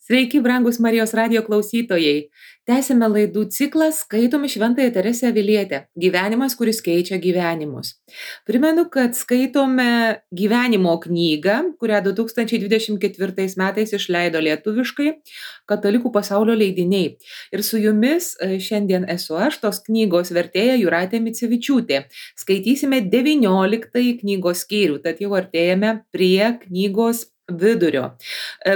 Sveiki, brangus Marijos radijo klausytojai. Tęsime laidų ciklą Skaitome Šventąją Teresę Avilietę. Gyvenimas, kuris keičia gyvenimus. Primenu, kad skaitome gyvenimo knygą, kurią 2024 metais išleido lietuviškai Katalikų pasaulio leidiniai. Ir su jumis šiandien esu aš, tos knygos vertėja Jūratė Micevičiūtė. Skaitysime 19 knygos skyrių, tad jau artėjame prie knygos vidurio.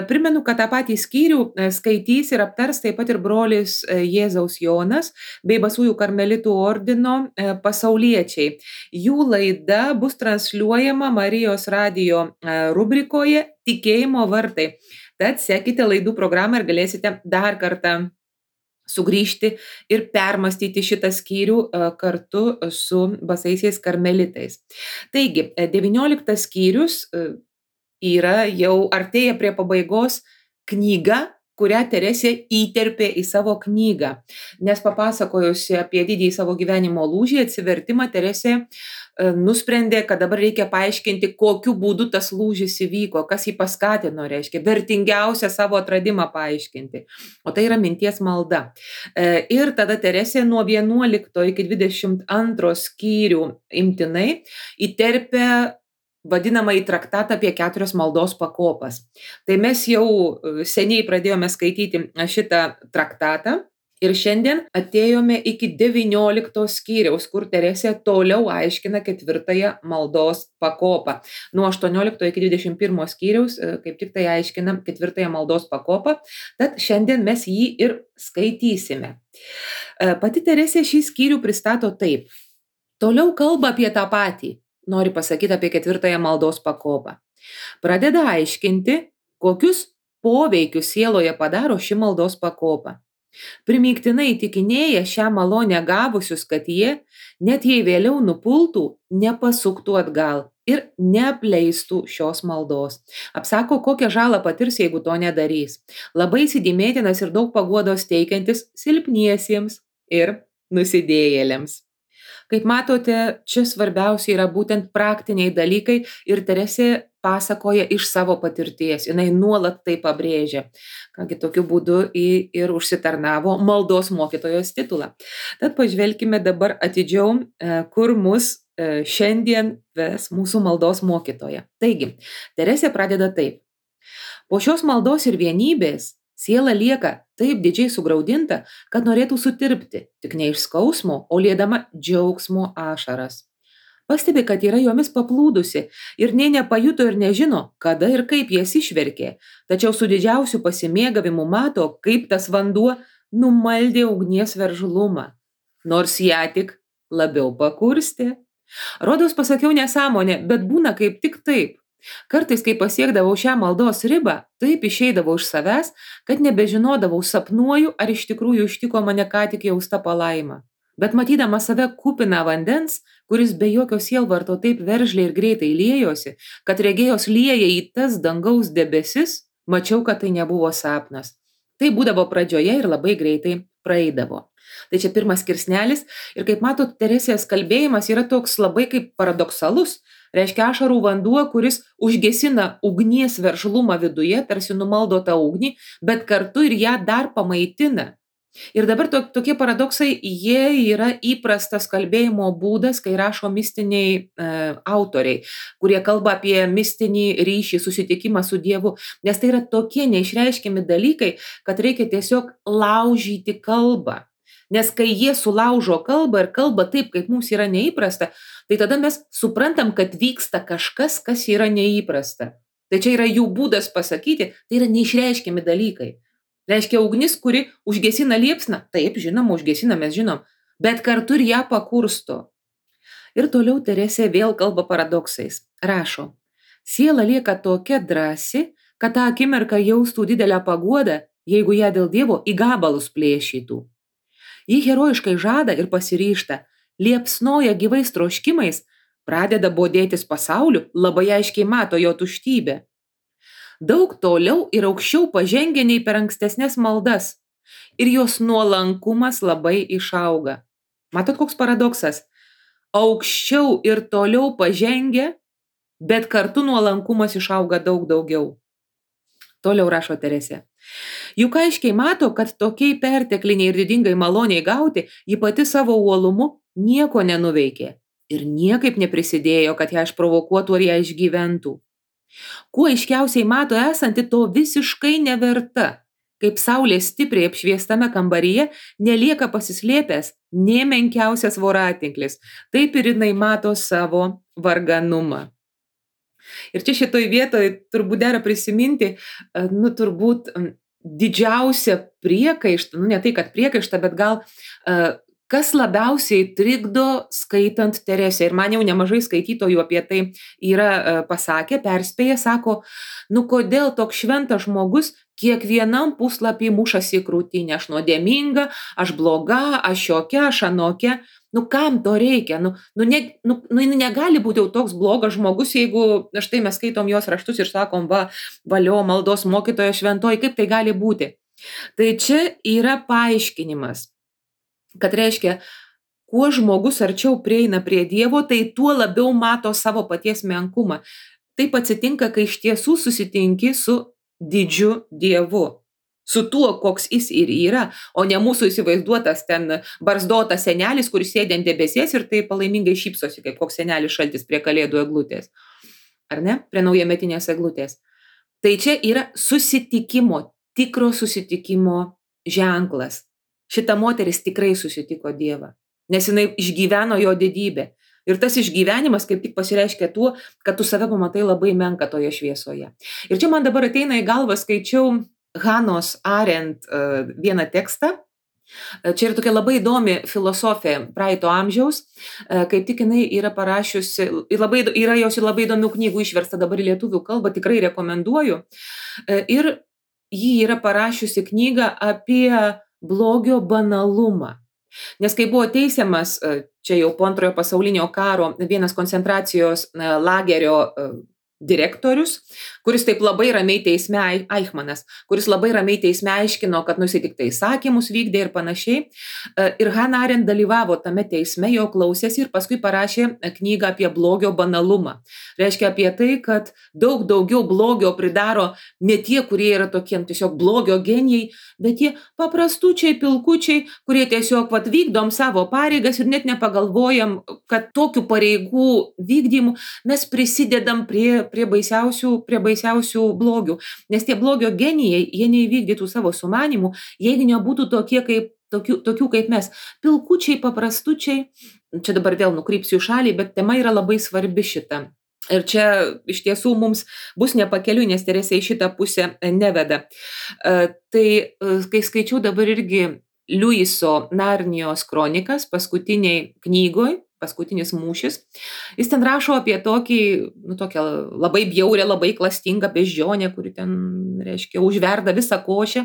Primenu, kad tą patį skyrių skaitys ir aptars taip pat ir brolis Jėzaus Jonas bei Basųjų karmelitų ordino pasauliečiai. Jų laida bus transliuojama Marijos radijo rubrikoje Tikėjimo vartai. Tad sekite laidų programą ir galėsite dar kartą sugrįžti ir permastyti šitą skyrių kartu su Basaisiais karmelitais. Taigi, 19 skyrius yra jau artėja prie pabaigos knyga, kurią Teresė įterpė į savo knygą. Nes papasakojusi apie didįjį savo gyvenimo lūžį, atsivertimą, Teresė nusprendė, kad dabar reikia paaiškinti, kokiu būdu tas lūžis įvyko, kas jį paskatino, reiškia, vertingiausią savo atradimą paaiškinti. O tai yra minties malda. Ir tada Teresė nuo 11 iki 22 skyrių imtinai įterpė vadinamą į traktatą apie 4 maldos pakopas. Tai mes jau seniai pradėjome skaityti šitą traktatą ir šiandien atėjome iki 19 skyriaus, kur Teresė toliau aiškina 4 maldos pakopą. Nuo 18 iki 21 skyriaus kaip tik tai aiškina 4 maldos pakopą, tad šiandien mes jį ir skaitysime. Pati Teresė šį skyrių pristato taip. Toliau kalba apie tą patį. Nori pasakyti apie 4 maldos pakopą. Pradeda aiškinti, kokius poveikius sieloje padaro ši maldos pakopa. Primygtinai įtikinėja šią malonę gavusius, kad jie, net jei vėliau nupultų, nepasuktų atgal ir neapleistų šios maldos. Apsako, kokią žalą patirs, jeigu to nedarys. Labai įsidėmėtinas ir daug paguodos teikiantis silpniesiems ir nusidėjėliams. Kaip matote, čia svarbiausia yra būtent praktiniai dalykai ir Teresė pasakoja iš savo patirties. Jinai nuolat tai pabrėžia. Kągi tokiu būdu ir užsitarnavo maldos mokytojos titulą. Tad pažvelkime dabar atidžiau, kur mus šiandien ves mūsų maldos mokytoja. Taigi, Teresė pradeda taip. Po šios maldos ir vienybės siela lieka taip didžiai sugraudinta, kad norėtų sutirpti, tik ne iš skausmo, o liedama džiaugsmo ašaras. Pastebi, kad yra jomis paplūdusi ir nė nepajuto ir nežino, kada ir kaip jas išverkė, tačiau su didžiausiu pasimėgavimu mato, kaip tas vanduo numaldė ugnies veržlumą, nors ją tik labiau pakurstė. Rodos pasakiau nesąmonę, bet būna kaip tik taip. Kartais, kai pasiekdavau šią maldos ribą, taip išeidavau iš savęs, kad nebežinodavau, sapnuoju, ar iš tikrųjų ištiko mane ką tik jausta palaima. Bet matydama save kupiną vandens, kuris be jokio sielvarto taip veržliai ir greitai liejosi, kad regėjos lieja į tas dangaus debesis, mačiau, kad tai nebuvo sapnas. Tai būdavo pradžioje ir labai greitai praeidavo. Tai čia pirmas skirsnelis ir kaip matot, Teresės kalbėjimas yra toks labai kaip paradoksalus. Reiškia ašarų vanduo, kuris užgesina ugnies veržlumą viduje, tarsi numaldo tą ugnį, bet kartu ir ją dar pamaitina. Ir dabar tokie paradoksai, jie yra įprastas kalbėjimo būdas, kai rašo mistiniai autoriai, kurie kalba apie mistinį ryšį, susitikimą su Dievu, nes tai yra tokie neišreiškiami dalykai, kad reikia tiesiog laužyti kalbą. Nes kai jie sulaužo kalbą ir kalba taip, kaip mums yra neįprasta, tai tada mes suprantam, kad vyksta kažkas, kas yra neįprasta. Tai čia yra jų būdas pasakyti, tai yra neišreiškiami dalykai. Reiškia ugnis, kuri užgesina liepsną, taip, žinoma, užgesina, mes žinom, bet kartu ir ją pakursto. Ir toliau Teresė vėl kalba paradoksais. Rašo, siela lieka tokia drąsi, kad tą akimirką jaustų didelę paguodą, jeigu ją dėl Dievo į gabalus plėšytų. Ji herojiškai žada ir pasiryžta, liepsnoja gyvais troškimais, pradeda bodėtis pasauliu, labai aiškiai mato jo tuštybę. Daug toliau ir aukščiau pažengia nei per ankstesnės maldas ir jos nuolankumas labai išauga. Matot, koks paradoksas? Aukščiau ir toliau pažengia, bet kartu nuolankumas išauga daug daugiau. Toliau rašo Teresė. Juk aiškiai mato, kad tokiai pertekliniai ir didingai maloniai gauti, ji pati savo uolumu nieko nenuveikė ir niekaip neprisidėjo, kad ją išprovokuotų ar ją išgyventų. Kuo aiškiausiai mato esanti to visiškai neverta, kaip saulė stipriai apšviestame kambaryje nelieka pasislėpęs nė menkiausias voratinklis, taip ir jinai mato savo varganumą. Ir čia šitoj vietoj turbūt dera prisiminti, turbūt didžiausią priekaištą, ne tai, kad priekaištą, bet gal kas labiausiai trikdo skaitant Teresę. Ir man jau nemažai skaitytojų apie tai yra pasakę, perspėję, sako, kodėl toks šventas žmogus kiekvienam puslapį mušasi į krūtinę, aš nuodėminga, aš bloga, aš šiokia, aš anokia. Kam to reikia? Negali būti jau toks blogas žmogus, jeigu štai mes skaitom jos raštus ir sakom, valio maldos mokytojo šventoji, kaip tai gali būti? Tai čia yra paaiškinimas, kad reiškia, kuo žmogus arčiau prieina prie Dievo, tai tuo labiau mato savo paties menkumą. Taip atsitinka, kai iš tiesų susitinki su didžiu Dievu. Su tuo, koks jis ir yra, o ne mūsų įsivaizduotas ten barzdotas senelis, kuris sėdi ant debesies ir tai palaimingai šypsosi, kaip koks senelis šaltis prie kalėdų eglutės. Ar ne? Prie naujametinės eglutės. Tai čia yra susitikimo, tikro susitikimo ženklas. Šita moteris tikrai susitiko Dievą, nes jinai išgyveno jo didybę. Ir tas išgyvenimas kaip tik pasireiškia tuo, kad tu save pamatai labai menką toje šviesoje. Ir čia man dabar ateina į galvą, skaičiau Hanos Arendt vieną tekstą. Čia yra tokia labai įdomi filosofė praeito amžiaus, kaip tik jinai yra parašiusi, yra jos labai įdomių knygų išversta dabar į lietuvių kalbą, tikrai rekomenduoju. Ir ji yra parašiusi knygą apie blogio banalumą. Nes kai buvo teisiamas, čia jau po Antrojo pasaulinio karo, vienas koncentracijos lagerio direktorius, kuris taip labai ramiai teisme, Eichmanas, kuris labai ramiai teisme aiškino, kad jisai tik tai įsakymus vykdė ir panašiai. Ir Hannah Arendt dalyvavo tame teisme, jo klausėsi ir paskui parašė knygą apie blogio banalumą. Reiškia apie tai, kad daug daugiau blogio pridaro ne tie, kurie yra tokie tiesiog blogio genijai, bet tie paprastučiai, pilkučiai, kurie tiesiog vykdom savo pareigas ir net nepagalvojam, kad tokių pareigų vykdymų mes prisidedam prie baisiausių blogių. Nes tie blogio genijai, jie neįvykdytų savo sumanimų, jeigu nebūtų tokių kaip mes. Pilkučiai, paprastučiai, čia dabar vėl nukrypsiu į šalį, bet tema yra labai svarbi šita. Ir čia iš tiesų mums bus nepakeliui, nes Teresė į šitą pusę neveda. Tai kai skaičiau dabar irgi Liuiso Narnijos kronikas paskutiniai knygoj, paskutinis mūšis, jis ten rašo apie tokią labai bjaurę, labai klastingą beždžionę, kuri ten, reiškia, užverda visą košę,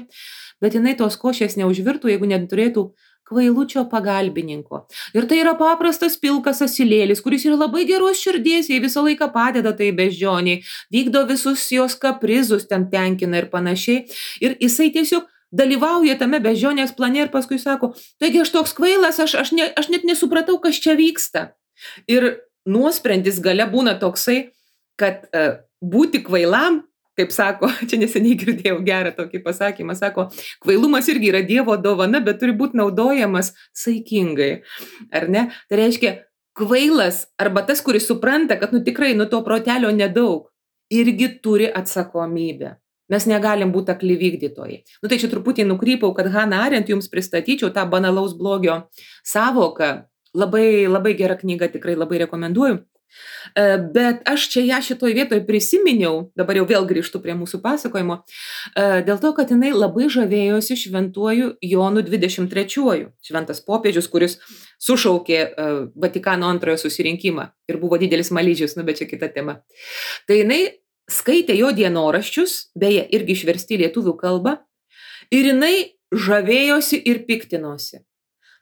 bet jinai tos košės neužvirtų, jeigu neturėtų kvailučio pagalbininko. Ir tai yra paprastas pilkas asilėlis, kuris yra labai geros širdies, jai visą laiką padeda tai beždžioniai, vykdo visus jos kaprizus, ten tenkina ir panašiai. Ir jisai tiesiog dalyvauja tame beždžionės plane ir paskui sako, taigi aš toks kvailas, aš net nesupratau, kas čia vyksta. Ir nuosprendis gale būna toksai, kad būti kvailam, kaip sako, čia neseniai girdėjau gerą tokį pasakymą, sako, kvailumas irgi yra Dievo dovana, bet turi būti naudojamas saikingai. Ar ne? Tai reiškia, kvailas arba tas, kuris supranta, kad tikrai to protelio nedaug, irgi turi atsakomybę. Mes negalim būti akli vykdytojai. Tai čia truputį nukrypau, kad Hannah Arendt jums pristatyčiau tą banalaus blogio savoką. Labai, labai gera knyga, tikrai labai rekomenduoju. Bet aš čia ją šitoj vietoj prisiminiau, dabar jau vėl grįžtu prie mūsų pasakojimo, dėl to, kad jinai labai žavėjosi šventuoju Jonu 23-uoju, šventas popiežius, kuris sušaukė Vatikano antrojo susirinkimą ir buvo didelis malyžius, bet čia kita tema. Tai jinai skaitė jo dienoraščius, beje, irgi išversti lietuvių kalbą, ir jinai žavėjosi ir piktinosi.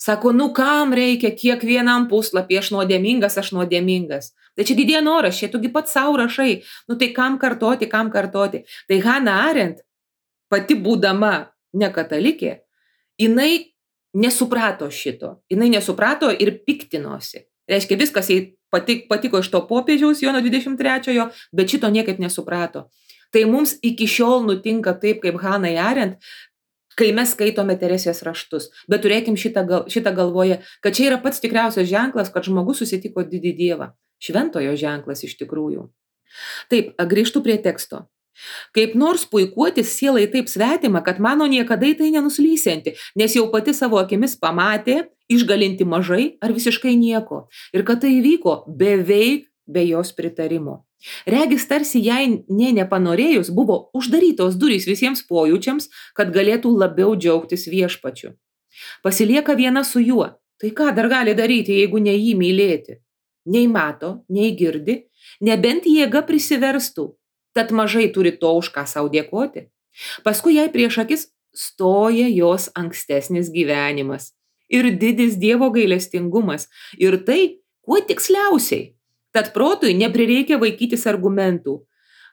Sako, kam reikia kiekvienam puslapį, aš nuodėmingas. Tai čia dienoraščiai, tugi pats savo rašai, tai kam kartoti. Tai Hannah Arendt, pati būdama ne katalikė, jinai nesuprato šito. Jinai nesuprato ir piktinosi. Reiškia, viskas jai patiko iš to popiežiaus Jono 23-ojo, bet šito niekaip nesuprato. Tai mums iki šiol nutinka taip, kaip Hannah Arendt, kai mes skaitome Teresės raštus. Bet turėkim šitą galvoje, kad čia yra pats tikriausias ženklas, kad žmogus susitiko didį Dievą. Šventojo ženklas iš tikrųjų. Taip, grįžtu prie teksto. Kaip nors puikuotis sielai taip svetima, kad mano niekada į tai nenuslysianti, nes jau pati savo akimis pamatė, išgalinti mažai ar visiškai nieko. Ir kad tai įvyko beveik be jos pritarimo. Regis tarsi jai nepanorėjus buvo uždarytos durys visiems pojūčiams, kad galėtų labiau džiaugtis viešpačiu. Pasilieka viena su juo. Tai ką dar gali daryti, jeigu ne jį mylėti? Nei mato, nei girdi, nebent jėga prisiverstų. Tad mažai turi to, už ką sau dėkoti. Paskui jai prieš akis stoja jos ankstesnis gyvenimas. Ir didis Dievo gailestingumas. Ir tai, kuo tiksliausiai. Tad protui neprireikia vaikytis argumentų.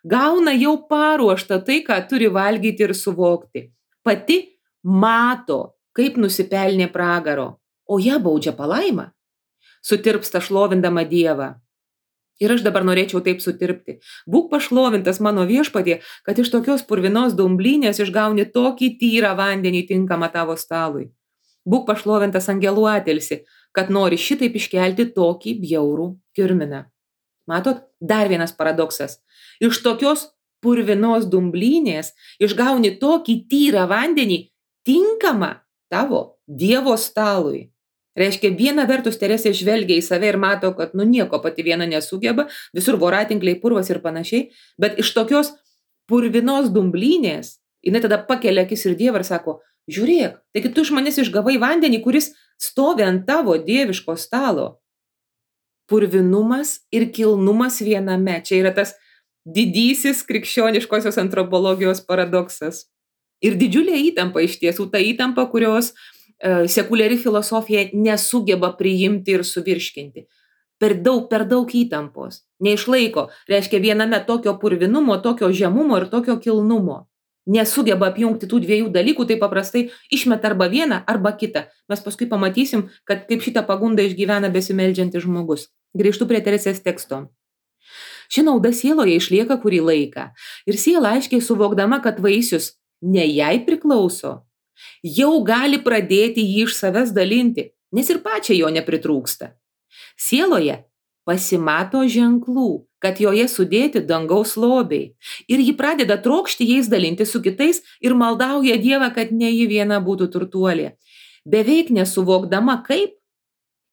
Gauna jau paruoštą tai, ką turi valgyti ir suvokti. Pati mato, kaip nusipelnė pragaro, o ją baudžia palaima. Sutirpsta šlovindama Dievą. Ir aš dabar norėčiau taip sutirpti. Būk pašlovintas mano viešpatie, kad iš tokios purvinos dumblynės išgauni tokį tyrą vandenį tinkamą tavo stalui. Būk pašlovintas angelų atilsi, kad nori šitaip iškelti tokį bjaurų kirminą. Matot, dar vienas paradoksas. Iš tokios purvinos dumblynės išgauni tokį tyrą vandenį tinkamą tavo Dievo stalui. Reiškia, viena vertus Teresė žvelgia į save ir mato, kad nieko pati viena nesugeba, visur voratinkliai, purvas ir panašiai, bet iš tokios purvinos dumblynės jinai tada pakelia akis ir Dievą ir sako, žiūrėk, taigi tu iš manęs išgavai vandenį, kuris stovi ant tavo dieviško stalo. Purvinumas ir kilnumas viename. Čia yra tas didysis krikščioniškosios antropologijos paradoksas. Ir didžiulė įtampa iš tiesų, ta įtampa, kurios sekuliari filosofija nesugeba priimti ir suvirškinti. Per daug įtampos. Neišlaiko. Reiškia, viename tokio purvinumo, tokio žemumo ir tokio kilnumo. Nesugeba apjungti tų dviejų dalykų, tai paprastai išmeta arba vieną, arba kitą. Mes paskui pamatysim, kad kaip šitą pagundą išgyvena besimeldžiantis žmogus. Grįžtu prie Teresės teksto. Ši nauda sieloje išlieka kurį laiką. Ir siela aiškiai suvokdama, kad vaisius ne jai priklauso, jau gali pradėti jį iš savęs dalinti, nes ir pačiai jo nepritrūksta. Sieloje pasimato ženklų, kad joje sudėti dangaus lobiai. Ir ji pradeda trokšti jais dalinti su kitais ir maldauja Dievą, kad ne ji viena būtų turtuolė. Beveik nesuvokdama kaip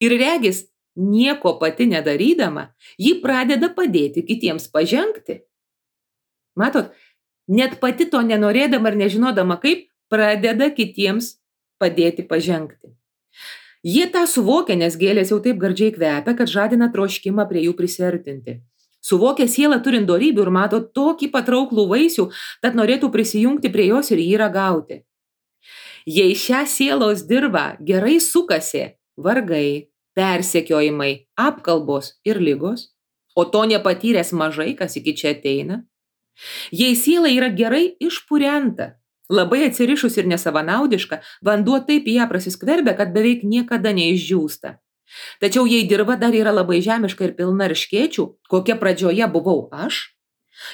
ir regis nieko pati nedarydama, ji pradeda padėti kitiems pažengti. Matot, net pati to nenorėdama ir nežinodama kaip, pradeda kitiems padėti pažengti. Jie tą suvokia, nes gėlės jau taip gardžiai kvepia, kad žadina troškimą prie jų prisiartinti. Suvokia sielą turint dorybių ir mato tokį patrauklų vaisių, tad norėtų prisijungti prie jos ir jį ragauti. Jei šią sielos dirvą gerai sukasi vargai, persekiojimai, apkalbos ir ligos, o to nepatyręs mažai, kas iki čia ateina, jei siela yra gerai išpurenta, labai atsirišus ir nesavanaudiška, vanduo taip į ją prasiskverbia, kad beveik niekada neišdžiūsta. Tačiau jei dirva dar yra labai žemiška ir pilna erškėčių, kokia pradžioje buvau aš,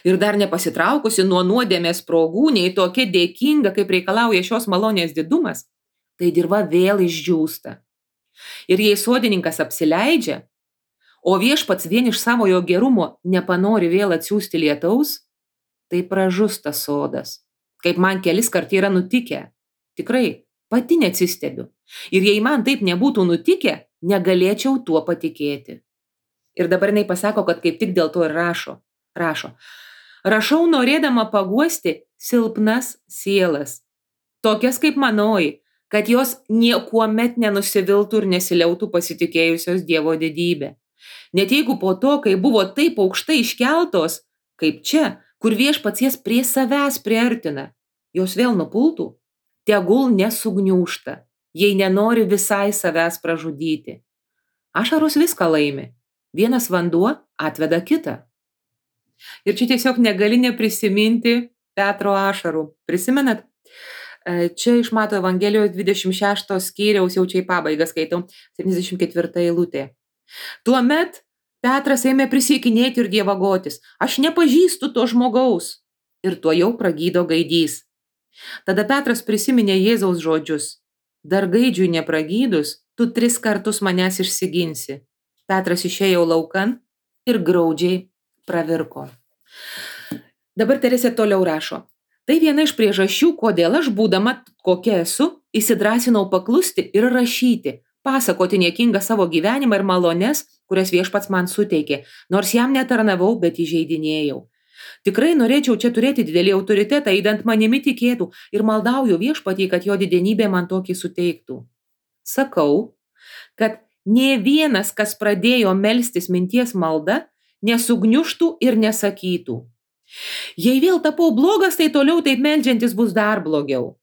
ir dar nepasitraukusi nuo nuodėmės sprogų, nei tokia dėkinga, kaip reikalauja šios malonės didumas, tai dirva vėl išdžiūsta. Ir jei sodininkas apsileidžia, o viešpats vien iš savojo gerumo nepanori vėl atsiųsti lietaus, tai pražus tas sodas. Kaip man kelis kart yra nutikę. Tikrai, pati neatsistebiu. Ir jei man taip nebūtų nutikę, negalėčiau tuo patikėti. Ir dabar jinai pasako, kad kaip tik dėl to ir rašo. Rašau norėdama paguosti silpnas sielas. Tokias kaip manoji, kad jos niekuomet nenusiviltų ir nesiliautų pasitikėjusios Dievo didybę. Net jeigu po to, kai buvo taip aukštai iškeltos, kaip čia, kur viešpats jas prie savęs priartina, jos vėl nupultų, tegul nesugniūžta, jei nenori visai savęs pražudyti. Ašaros viską laimi, vienas vanduo atveda kitą. Ir čia tiesiog negali neprisiminti Petro ašarų. Prisimenat? Čia iš Mato Evangelijos 26 skyriaus, jau čia į pabaigą skaitau, 74 eilutė. Tuomet Petras ėmė prisiekinėti ir dievagotis. Aš nepažįstu to žmogaus. ir tuojau pragydo gaidys. Tada Petras prisiminė Jėzaus žodžius: dar gaidžiui nepragydus, tu 3 kartus manęs išsiginsi. Petras išėjo laukan ir graudžiai pravirko. Dabar Teresė toliau rašo: tai viena iš priežasčių, kodėl aš, būdama kokia esu, įsidrąsinau paklusti ir rašyti, pasakoti niekingą savo gyvenimą ir malones, kurias Viešpats man suteikė, nors jam netarnavau, bet įžeidinėjau. Tikrai norėčiau čia turėti didelį autoritetą, įdant manimi tikėtų, ir maldauju Viešpatį, kad jo didenybė man tokį suteiktų. Sakau, kad nė vienas, kas pradėjo melstis minties malda, nesugniužtų ir nesakytų: jei vėl tapau blogas, tai toliau taip meldžiantis bus dar blogiau.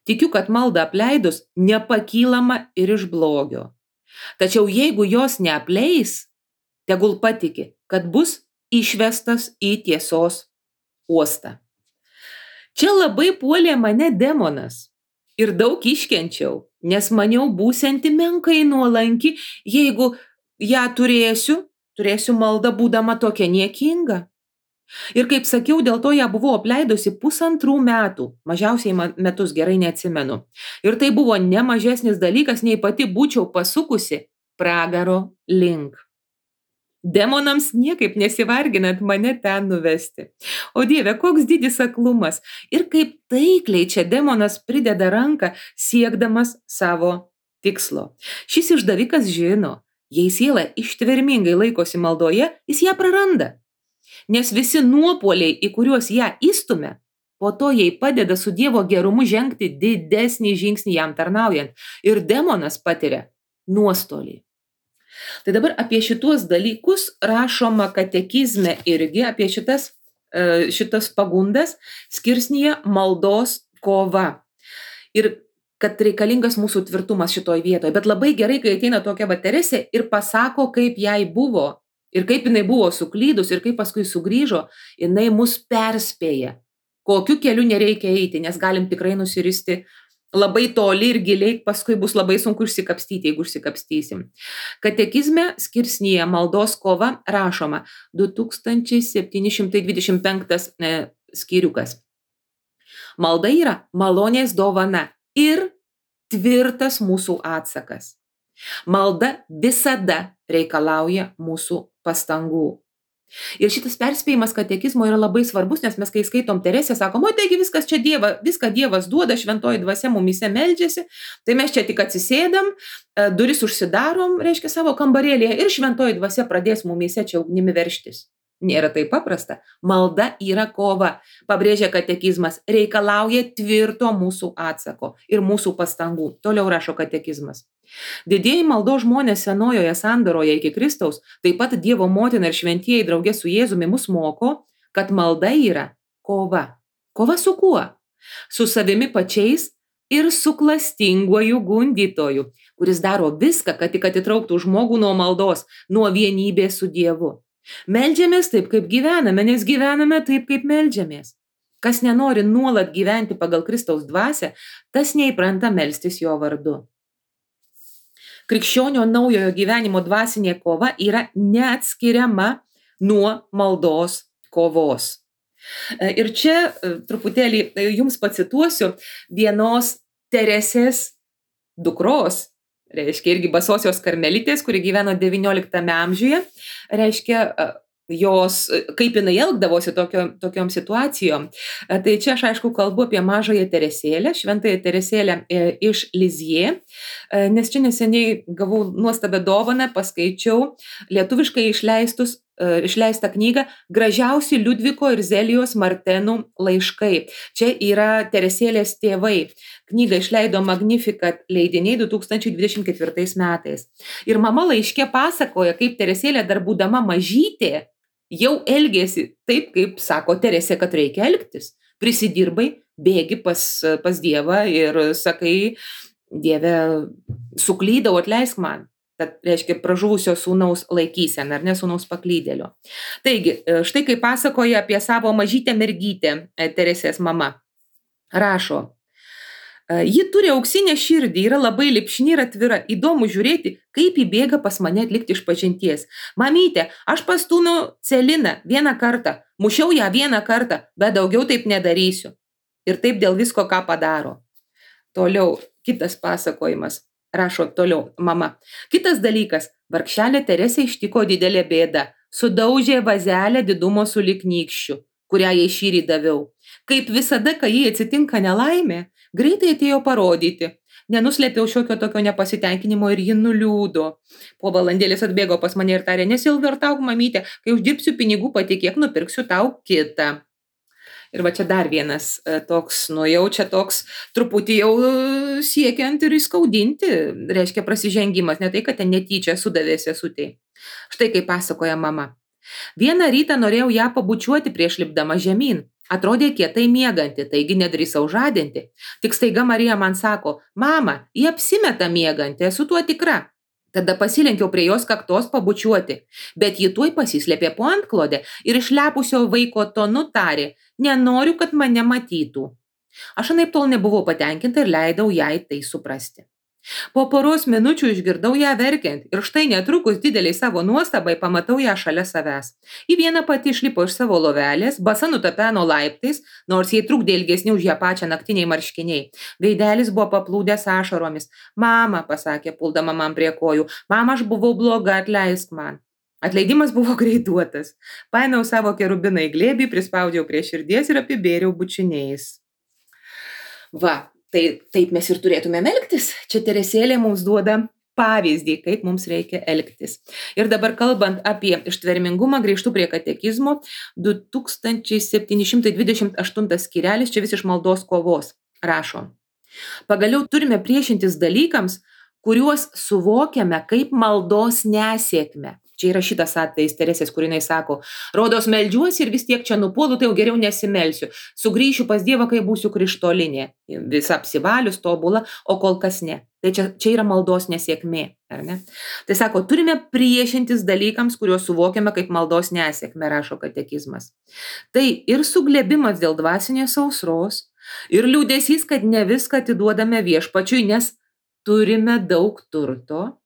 Tikiu, kad maldą apleidus nepakylama ir iš blogio. Tačiau jeigu jos neapleis, tegul patiki, kad bus išvestas į tiesos uostą. Čia labai puolė mane demonas ir daug iškenčiau, nes maniau būsianti menkai nuolanki, jeigu ją turėsiu maldą būdama tokia niekinga. Ir kaip sakiau, dėl to ją buvau apleidusi 1,5 metų, mažiausiai metus, gerai neatsimenu. Ir tai buvo ne mažesnis dalykas, nei pati būčiau pasukusi pragaro link. Demonams niekaip nesivarginant mane ten nuvesti. O Dieve, koks didis aklumas. Ir kaip taikliai čia demonas prideda ranką, siekdamas savo tikslo. Šis išdavikas žino, jei siela ištvermingai laikosi maldoje, jis ją praranda. Nes visi nuopuoliai, į kuriuos ją įstumia, po to jai padeda su Dievo gerumu žengti didesnį žingsnį jam tarnaujant. Ir demonas patiria nuostolį. Tai dabar apie šituos dalykus rašoma katekizme irgi, apie šitas pagundas skirsnyje maldos kova. Ir kad reikalingas mūsų tvirtumas šitoj vietoje. Bet labai gerai, kai ateina tokia Teresė ir pasako, kaip jai buvo. Ir kaip jinai buvo suklydus ir kaip paskui sugrįžo, jinai mus perspėja, kokiu keliu nereikia eiti, nes galim tikrai nusiristi labai toli ir giliai, paskui bus labai sunku išsikapstyti, jeigu išsikapstysim. Katekizme skirsnyje maldos kova rašoma 2725 skyriukas. Malda yra malonės dovana ir tvirtas mūsų atsakas. Malda visada reikalauja mūsų pastangų. Ir šitas perspėjimas katekizmo yra labai svarbus, nes mes kai skaitom Teresę, sakom, o taigi viskas čia viską Dievas duoda, šventoji dvasia mumyse meldžiasi, tai mes čia tik atsisėdam, duris užsidarom, reiškia savo kambarėlėje ir šventoji dvasia pradės mumyse čia ugnimi verštis. Nėra taip paprasta. Malda yra kova, pabrėžia katekizmas, reikalauja tvirto mūsų atsako ir mūsų pastangų. Toliau rašo katekizmas. Didieji maldos žmonės senojoje sandoroje iki Kristaus, taip pat Dievo motina ir šventieji draugė su Jėzumi mus moko, kad malda yra kova. Kova su kuo? Su savimi pačiais ir su klastinguoju gundytoju, kuris daro viską, kad tik atitrauktų žmogų nuo maldos, nuo vienybės su Dievu. Meldžiamės taip, kaip gyvename, nes gyvename taip, kaip meldžiamės. Kas nenori nuolat gyventi pagal Kristaus dvasią, tas neįpranta melstis jo vardu. Krikščionio naujojo gyvenimo dvasinė kova yra neatskiriama nuo maldos kovos. Ir čia truputėlį jums pacituosiu vienos Teresės dukros, reiškia irgi basosios karmelitės, kuri gyveno 19 amžiuje, reiškia jos, kaip jinai elgdavosi tokiom situacijom. Tai čia aš aišku kalbu apie mažąją Teresėlę, šventąją Teresėlę iš Lizjė, nes čia neseniai gavau nuostabią dovaną, paskaičiau lietuviškai išleistą knygą Gražiausi Liudviko ir Zelijos Martenų laiškai. Čia yra Teresėlės tėvai. Knygą išleido Magnificat leidiniai 2024 metais. Ir mama laiške pasakoja, kaip Teresėlė dar būdama mažytė jau elgėsi taip, kaip sako Teresė, kad reikia elgtis. Prisidirbai, bėgi pas Dievą ir sakai, Dieve, suklydau, atleisk man. Tad reiškia pražuvusio sūnaus laikysena, ar ne sūnaus paklydėlio. Taigi, štai kaip pasakoja apie savo mažytę mergytę Teresės mama. Rašo, ji turi auksinę širdį, yra labai lipšni ir atvira. Įdomu žiūrėti, kaip įbėga pas mane atlikti išpažinties. Mamytė, aš pastūmiau Celiną vieną kartą. Mušiau ją vieną kartą, bet daugiau taip nedarysiu. Ir taip dėl visko, ką padaro. Toliau, kitas pasakojimas. Rašo toliau mama. Kitas dalykas, vargšelė Teresė ištiko didelė bėda. Sudaužė vazelę didumo sulig nykščiu, kurią jai šįryt daviau. Kaip visada, kai jai atsitinka nelaimė, greitai atėjo parodyti. Nenuslėpiau šiokio tokio nepasitenkinimo ir ji nuliūdo. Po valandėlės atbėgo pas mane ir tarė, nesilvertauk, mamytė, kai uždirbsiu pinigų, patikėk, nupirksiu tau kitą. Ir va čia dar vienas toks, jau čia toks truputį jau siekiant ir įskaudinti, reiškia prasižengimas, ne tai, kad ten netyčia sudavė sesutei. Štai kaip pasakoja mama. Vieną rytą norėjau ją pabučiuoti prieš lipdama žemyn. Atrodė kietai mieganti, taigi nedrįsau žadinti. Tik staiga Marija man sako, mama, ji apsimeta mieganti, esu tuo tikra. Tada pasilenkiau prie jos kaktos pabučiuoti, bet ji tuoj pasislėpė po antklodę ir išlepusio vaiko tonu tarė, nenoriu, kad mane matytų. Aš anaiptol nebuvau patenkinta ir leidau jai tai suprasti. Po poros minučių išgirdau ją verkiant ir štai netrukus dideliai savo nuostabai pamatau ją šalia savęs. Į vieną pati išlipo iš savo lovelės, basa nutapeno laiptais, nors jai trukdė ilgesni už ją pačią naktiniai marškiniai. Veidelis buvo paplūdęs ašaromis. Mama, pasakė, puldama man prie kojų, mama, aš buvau bloga, atleisk man. Atleidimas buvo greituotas. Paėmiau savo kerubiną į glėbį, prispaudžiau prie širdies ir apibėriau bučiniais. Va. Tai taip mes ir turėtume elgtis. Čia Teresėlė mums duoda pavyzdį, kaip mums reikia elgtis. Ir dabar kalbant apie ištvermingumą, grįžtu prie katekizmo, 2728 skyrelis, čia vis iš maldos kovos, rašo. Pagaliau turime priešintis dalykams, kuriuos suvokiame kaip maldos nesėkmę. Čia yra šitas atvejis Teresės, kur jinai sako, rodos meldžiuosi ir vis tiek čia nupuolu, tai jau geriau nesimelsiu. Sugrįšiu pas Dievą, kai būsiu krištolinė, visa apsivalius, tobula, o kol kas ne. Tai čia yra maldos nesėkmė, ar ne? Tai sako, turime priešintis dalykams, kuriuos suvokiame kaip maldos nesėkmę, rašo katekizmas. Tai ir suglėbimas dėl dvasinės sausros, ir liūdesys, kad ne viską atiduodame viešpačiui, nes turime daug turto.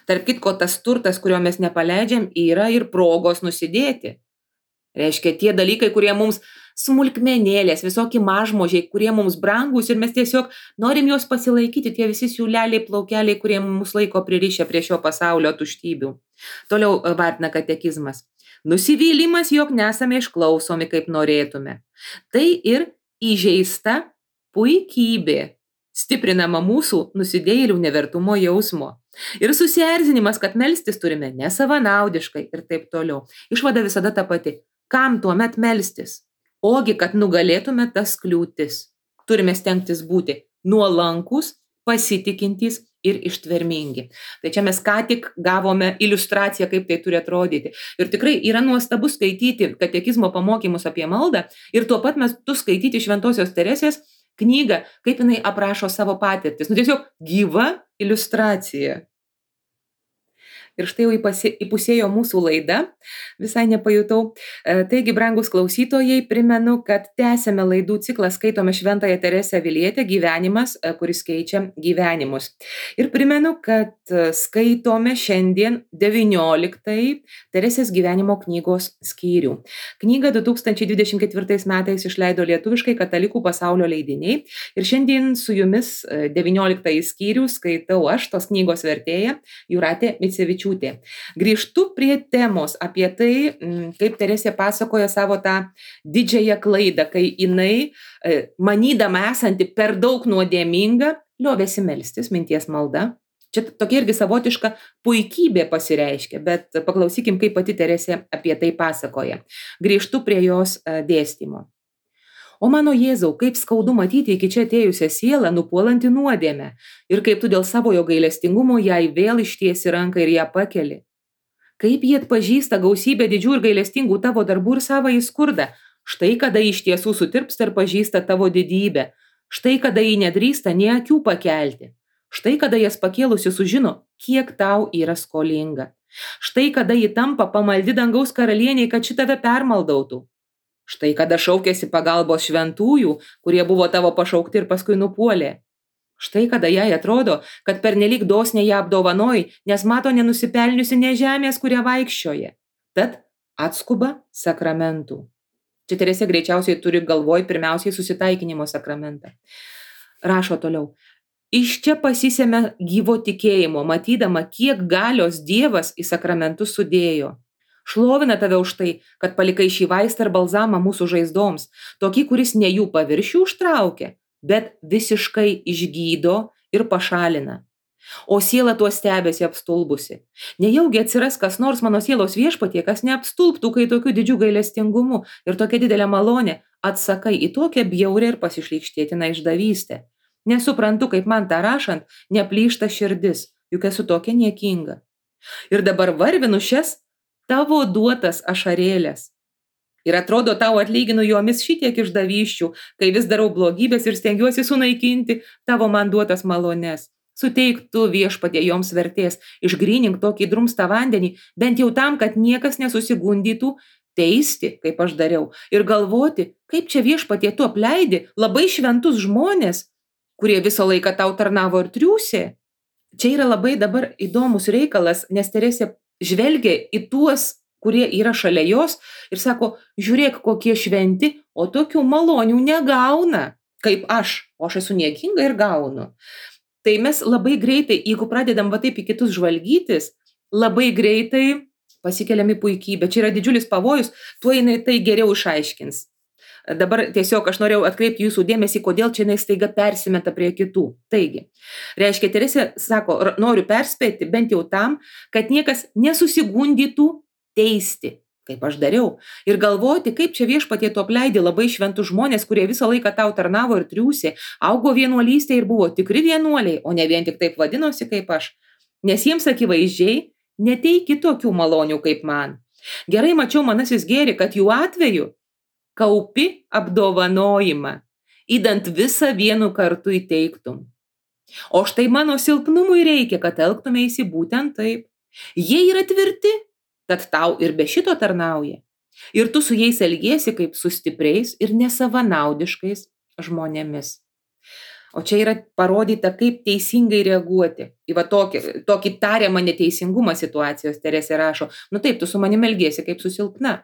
Tarp kitko, tas turtas, kurio mes nepaleidžiam, yra ir progos nusidėti. Reiškia, tie dalykai, kurie mums smulkmenėlės, visokie mažmožiai, kurie mums brangus ir mes tiesiog norim juos pasilaikyti, tie visi siūleliai, plaukeliai, kurie mus laiko pririšę prie šio pasaulio tuštybių. Toliau vartina katekizmas. Nusivylimas, jog nesame išklausomi, kaip norėtume. Tai ir įžeista puikybė, stiprinama mūsų nusidėjėlių nevertumo jausmo. Ir susierzinimas, kad melstis turime nesavanaudiškai ir taip toliau. Išvada visada ta pati. Kam tuomet melstis? Ogi, kad nugalėtume tas kliūtis. Turime stengtis būti nuolankus, pasitikintys ir ištvermingi. Tai čia mes ką tik gavome iliustraciją, kaip tai turi atrodyti. Ir tikrai yra nuostabu skaityti katekizmo pamokymus apie maldą ir tuo pat metu skaityti Šventosios Teresės knygą, kaip jinai aprašo savo patirtis. Tiesiog gyva iliustracija. Ir štai jau įpusėjo mūsų laida, visai nepajutau. Taigi, brangus klausytojai, primenu, kad tęsiame laidų ciklą Skaitome Šventąją Teresę Avilietę gyvenimas, kuris keičia gyvenimus. Ir primenu, kad skaitome šiandien 19 Teresės gyvenimo knygos skyrių. Knygą 2024 metais išleido lietuviškai Katalikų pasaulio leidiniai. Ir šiandien su jumis 19 skyrių skaitau aš, tos knygos vertėja, Jūratė Micevičiūtė. Grįžtu prie temos apie tai, kaip Teresė pasakoja savo tą didžiąją klaidą, kai jinai, manydama esanti per daug nuodėminga, liovėsi melstis, minties malda. Čia tokia irgi savotiška puikybė pasireiškia, bet paklausykim, kaip pati Teresė apie tai pasakoja. Grįžtu prie jos dėstymo. O mano Jėzau, kaip skaudu matyti iki čia atėjusią sielą, nupuolanti nuodėmę, ir kaip tu dėl savojo gailestingumo jai vėl ištiesi ranką ir ją pakeli. Kaip jie atpažįsta gausybę didžių ir gailestingų tavo darbų ir savąjį skurdą, štai kada iš tiesų sutirpsta ir pažįsta tavo didybę, štai kada jį nedrįsta nė akių pakelti, štai kada jas pakėlusi sužino, kiek tau yra skolinga, štai kada ji tampa pamaldi dangaus karalieniai, kad ši tave permaldautų. Štai kada šaukėsi pagalbos šventųjų, kurie buvo tavo pašaukti ir paskui nupuolė. Štai kada jai atrodo, kad pernelyg dosniai ją apdovanojai, nes mato nenusipelniusi nė žemės, kuria vaikščioja. Tad atskuba sakramentų. Čia Teresė greičiausiai turi galvoj pirmiausiai susitaikinimo sakramentą. Rašo toliau. Iš čia pasisėmė gyvo tikėjimo, matydama, kiek galios Dievas į sakramentus sudėjo. Šlovina tave už tai, kad palikai šį vaistą ir balzamą mūsų žaizdoms, tokį, kuris ne jų paviršių užtraukia, bet visiškai išgydo ir pašalina. O siela tuo stebėsi apstulbusi. Nejaugi atsiras kas nors mano sielos viešpatie, kas neapstulbtų, kai tokiu didžiu gailestingumu ir tokia didelė malonė atsakai į tokią bjaurią ir pasišlykštėtiną išdavystę. Nesuprantu, kaip man tą rašant neplyšta širdis, juk esu tokia niekinga. Ir dabar varvinu šias tavo duotas ašarėlės. Ir atrodo, tau atlyginu jomis šitiek išdavysčių, kai vis darau blogybės ir stengiuosi sunaikinti tavo man duotas malones. Suteik tu viešpatie joms vertės, išgrynink tokį drumstą vandenį, bent jau tam, kad niekas nesusigundytų teisti, kaip aš dariau, ir galvoti, kaip čia viešpatie tu apleidi labai šventus žmonės, kurie visą laiką tau tarnavo ir triūsė. Čia yra labai dabar įdomus reikalas, nes Teresė žvelgia į tuos, kurie yra šalia jos ir sako, žiūrėk, kokie šventi, o tokių malonių negauna, kaip aš, o aš esu niekinga ir gaunu. Tai mes labai greitai, jeigu pradedam va taip į kitus žvalgytis, labai greitai pasikeliam į puikybę. Čia yra didžiulis pavojus, tuo jinai tai geriau išaiškins. Dabar tiesiog aš norėjau atkreipti jūsų dėmesį, kodėl čia jinai staiga persimeta prie kitų. Taigi, reiškia, Teresė sako, noriu perspėti bent jau tam, kad niekas nesusigundytų teisti, kaip aš dariau, ir galvoti, kaip čia viešpatie tu apleidi labai šventus žmonės, kurie visą laiką tau tarnavo ir triūsė, augo vienuolystėje ir buvo tikri vienuoliai, o ne vien tik taip vadinosi kaip aš, nes jiems akivaizdžiai neteiki tokių malonių kaip man. Gerai mačiau manasis gėri, kad jų atveju kaupi apdovanojimą, įdant visą vienu kartu įteiktum. O štai mano silpnumui reikia, kad elgtumeisi būtent taip. Jie yra tvirti, kad tau ir be šito tarnauja. Ir tu su jais elgiesi kaip su stipriais ir nesavanaudiškais žmonėmis. O čia yra parodyta, kaip teisingai reaguoti. Į va tokį tariamą neteisingumą situacijos Teresė rašo. Nu taip, tu su manim elgiesi kaip su silpna,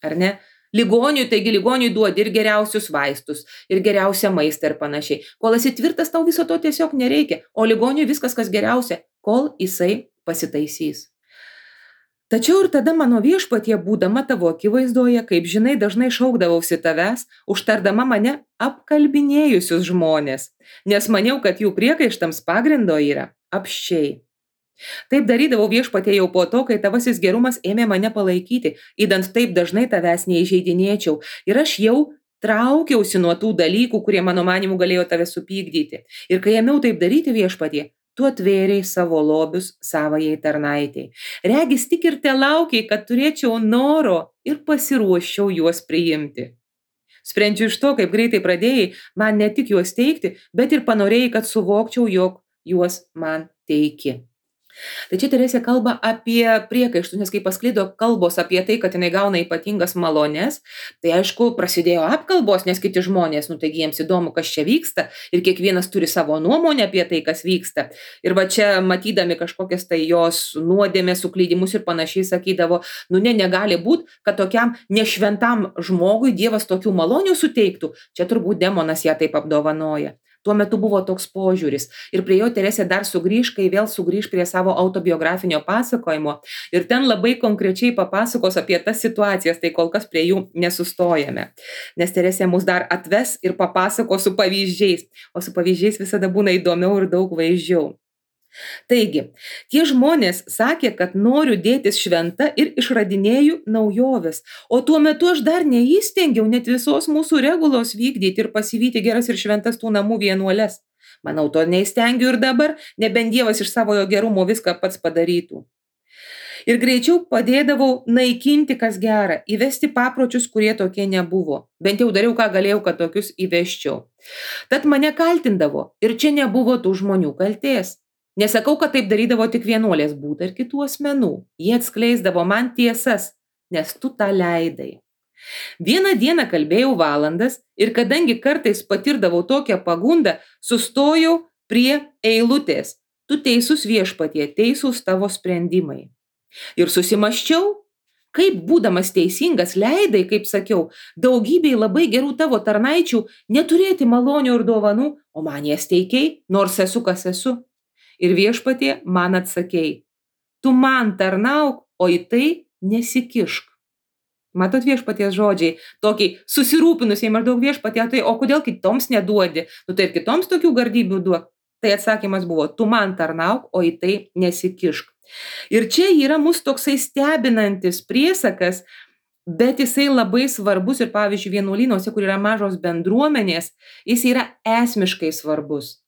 ar ne? Ligoniui, taigi ligoniui duodi ir geriausius vaistus, ir geriausią maistą ir panašiai. Kol esi tvirtas, tau viso to tiesiog nereikia. O ligoniui viskas, kas geriausia, kol jisai pasitaisys. Tačiau ir tada mano viešpatie, būdama tavo akivaizdoje, kaip žinai, dažnai šaukdavausi tavęs, užtardama mane apkalbinėjusius žmonės, nes maniau, kad jų priekaištams pagrindo yra apsčiai. Taip darydavau viešpatie jau po to, kai tavasis gerumas ėmė mane palaikyti, įdant taip dažnai tavęs neįžeidinėčiau, ir aš jau traukiausi nuo tų dalykų, kurie mano manimu galėjo tave supykdyti. Ir kai ėmiau taip daryti viešpatie, tu atvėrei savo lobius savajai tarnaitei. Regis tik ir te laukiai, kad turėčiau noro ir pasiruoščiau juos priimti. Sprendžiu iš to, kaip greitai pradėjai man ne tik juos teikti, bet ir panorėjai, kad suvokčiau, jog juos man teiki. Tai čia Teresė kalba apie priekaištus, nes kai pasklido kalbos apie tai, kad jinai gauna ypatingas malones, tai aišku prasidėjo apkalbos, nes kiti žmonės, taigi jiems įdomu, kas čia vyksta ir kiekvienas turi savo nuomonę apie tai, kas vyksta. Ir va čia matydami kažkokias tai jos nuodėmės, suklydimus ir panašiai sakydavo, negali būti, kad tokiam nešventam žmogui Dievas tokių malonių suteiktų. Čia turbūt demonas ją taip apdovanoja. Tuo metu buvo toks požiūris. Ir prie jo Teresė dar sugrįž, kai vėl sugrįž prie savo autobiografinio pasakojimo. Ir ten labai konkrečiai papasakos apie tas situacijas, tai kol kas prie jų nesustojame. Nes Teresė mus dar atves ir papasakos su pavyzdžiais. O su pavyzdžiais visada būna įdomiau ir daug vaizdžiau. Taigi, tie žmonės sakė, kad noriu dėtis šventa ir išradinėju naujoves, o tuo metu aš dar neįstengiau net visos mūsų regulos vykdyti ir pasivyti geras ir šventas tų namų vienuoles. Manau, to neįstengiu ir dabar, nebent Dievas iš savojo gerumo viską pats padarytų. Ir greičiau padėdavau naikinti, kas gera, įvesti papročius, kurie tokie nebuvo. Bent jau dariau, ką galėjau, kad tokius įvesčiau. Tad mane kaltindavo ir čia nebuvo tų žmonių kaltės. Nesakau, kad taip darydavo tik vienuolės, būta ir kitų asmenų. Jie atskleisdavo man tiesas, nes tu tą leidai. Vieną dieną kalbėjau valandas ir kadangi kartais patirdavau tokią pagundą, sustojau prie eilutės. Tu teisus viešpatie, teisūs tavo sprendimai. Ir susimąsčiau, Kaip būdamas teisingas leidai, kaip sakiau, daugybei labai gerų tavo tarnaičių neturėti malonių ir dovanų, o man jas teikei, nors esu kas esu. Ir Viešpatie man atsakei, tu man tarnauk, o į tai nesikišk. Matot Viešpaties žodžiai, tokiai susirūpinusiai maždaug Viešpatie, tai o kodėl kitoms neduodi? Tai ir kitoms tokių gardybių duok. Tai atsakymas buvo, tu man tarnauk, o į tai nesikišk. Ir čia yra mūsų toksai stebinantis priesakas, bet jisai labai svarbus ir pavyzdžiui vienuolynuose, kur yra mažos bendruomenės, jis yra esmiškai svarbus.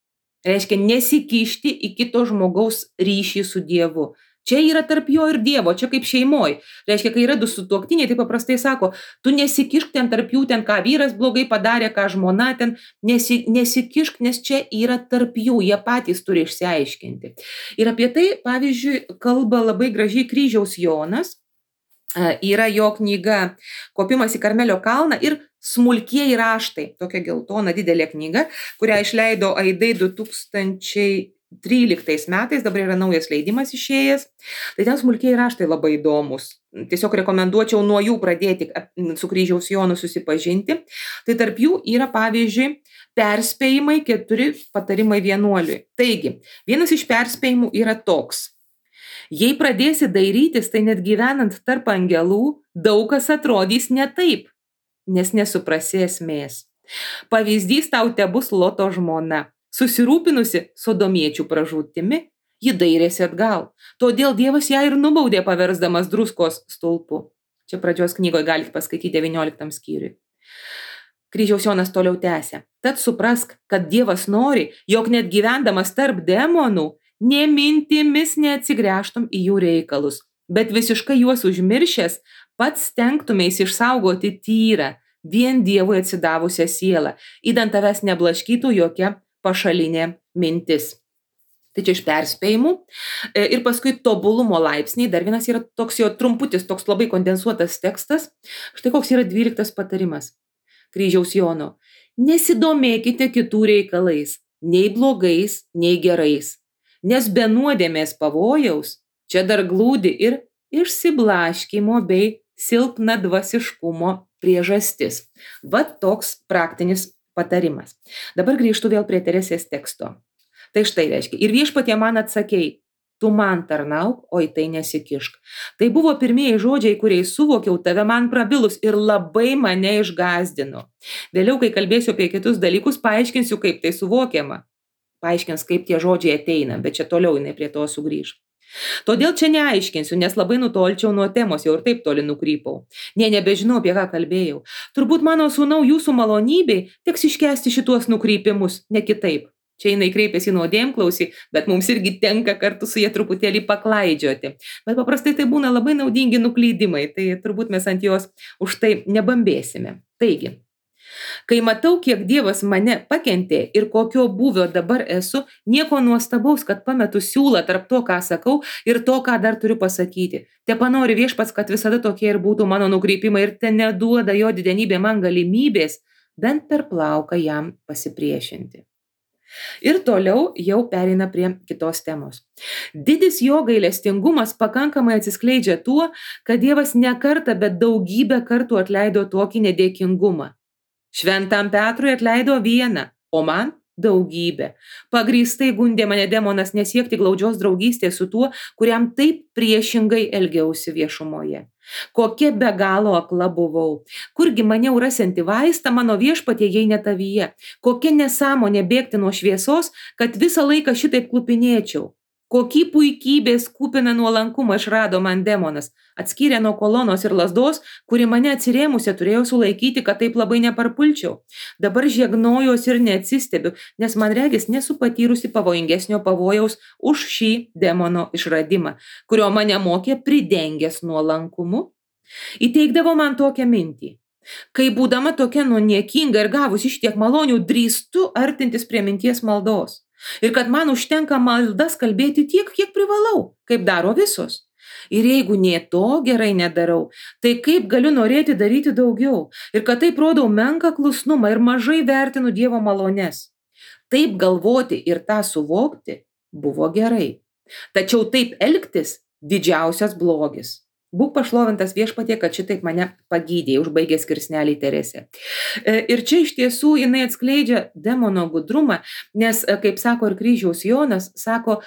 Reiškia nesikišti į kito žmogaus ryšį su Dievu. Čia yra tarp jo ir Dievo, čia kaip šeimoj. Reiškia, kai yra du sutuoktiniai, tai paprastai sako, tu nesikišk ten tarp jų, ten ką vyras blogai padarė, ką žmona ten, nesikišk, nes čia yra tarp jų, jie patys turi išsiaiškinti. Ir apie tai, pavyzdžiui, kalba labai gražiai Kryžiaus Jonas, yra jo knyga Kopimas į Karmelio kalną ir Smulkieji raštai, tokia geltona didelė knyga, kurią išleido Aidai 2013 metais, dabar yra naujas leidimas išėjęs. Tai ten smulkieji raštai labai įdomus. Tiesiog rekomenduočiau nuo jų pradėti su Kryžiaus Jonu susipažinti. Tai tarp jų yra, pavyzdžiui, perspėjimai 4 patarimai vienuoliui. Taigi, vienas iš perspėjimų yra toks. Jei pradėsi dairytis, tai net gyvenant tarp angelų, daug kas atrodys ne taip, nes nesuprasi esmės. Pavyzdys tau tebus Loto žmona. Susirūpinusi sodomiečių pražūtimi, ji dairėsi atgal. Todėl Dievas ją ir nubaudė paversdamas druskos stulpu. Čia pradžios knygoje galite paskaityti 19 skyriui. Kryžiaus Jonas toliau tęsia. Tad suprask, kad Dievas nori, jog net gyvendamas tarp demonų, nė mintimis neatsigręžtum į jų reikalus, bet visiškai juos užmiršęs, pats stengtumės išsaugoti tyrą, vien Dievui atsidavusią sielą, įdant tavęs neblaškytų jokia pašalinė mintis. Tai čia iš perspėjimų. Ir paskui tobulumo laipsniai, dar vienas yra toks jo trumputis, toks labai kondensuotas tekstas. Štai koks yra 12 patarimas Kryžiaus Jono. Nesidomėkite kitų reikalais, nei blogais, nei gerais, nes be nuodėmės pavojaus čia dar glūdi ir išsiblaškymo bei silpnadvasiškumo priežastis. Vat toks praktinis patarimas. Dabar grįžtu vėl prie Teresės teksto. Tai štai reiškia, ir Viešpatie man atsakei, tu man tarnauk, o į tai nesikišk. Tai buvo pirmieji žodžiai, kuriais suvokiau tave man prabilus ir labai mane išgąsdino. Vėliau, kai kalbėsiu apie kitus dalykus, paaiškinsiu, kaip tai suvokiama. Paaiškins, kaip tie žodžiai ateina, bet čia toliau jinai prie to sugrįž. Todėl čia neaiškinsiu, nes labai nutolčiau nuo temos, jau ir taip toli nukrypau. Nebežinau, apie ką kalbėjau. Turbūt mano sūnau jūsų malonybei teks iškęsti šituos nukrypimus, ne kitaip. Čia jinai kreipėsi nuodėmklausį, bet mums irgi tenka kartu su jie truputėlį paklaidžioti. Bet paprastai tai būna labai naudingi nuklydimai, tai turbūt mes ant jos už tai nebambėsime. Taigi, kai matau, kiek Dievas mane pakentė ir kokio būvio dabar esu, nieko nuostabaus, kad pametu siūlą tarp to, ką sakau ir to, ką dar turiu pasakyti. Tepanori Viešpats, kad visada tokie ir būtų mano nukreipimai ir te neduoda jo didenybė man galimybės bent per plauką jam pasipriešinti. Ir toliau jau pereina prie kitos temos. Didis jo gailestingumas pakankamai atsiskleidžia tuo, kad Dievas ne kartą, bet daugybę kartų atleido tokį nedėkingumą. Šventam Petrui atleido vieną, o man daugybę. Pagrįstai gundė mane demonas nesiekti glaudžios draugystės su tuo, kuriam taip priešingai elgiausi viešumoje. Kokia be galo akla buvau. Kurgi maniau rasianti vaistą mano Viešpatie, jei ne tavyje. Kokia nesąmonė bėgti nuo šviesos, kad visą laiką šitaip klupinėčiau. Kokį puikybės kupiną nuolankumą išrado man demonas. Atskyrė nuo kolonos ir lazdos, kuri mane atsirėmusią turėjo sulaikyti, kad taip labai neparpulčiau. Dabar žiegnojuos ir neatsistebiu, nes man regis nesu patyrusi pavojingesnio pavojaus už šį demono išradimą, kurio mane mokė pridengęs nuolankumu. Įteikdavo man tokią mintį. Kai būdama tokia niekinga ir gavus šitiek malonių, drįstu artintis prie minties maldos. Ir kad man užtenka maldas kalbėti tiek, kiek privalau, kaip daro visos. Ir jeigu nė to gerai nedarau, tai kaip galiu norėti daryti daugiau? Ir kad taip rodau menką klusnumą ir mažai vertinu Dievo malones. Taip galvoti ir tą suvokti buvo gerai. Tačiau taip elgtis didžiausias blogis. Būk pašlovintas viešpatie, kad šitaip mane pagydė, užbaigė skirsnelį Teresė. Ir čia iš tiesų jinai atskleidžia demono gudrumą, nes, kaip sako ir kryžiaus Jonas, sako,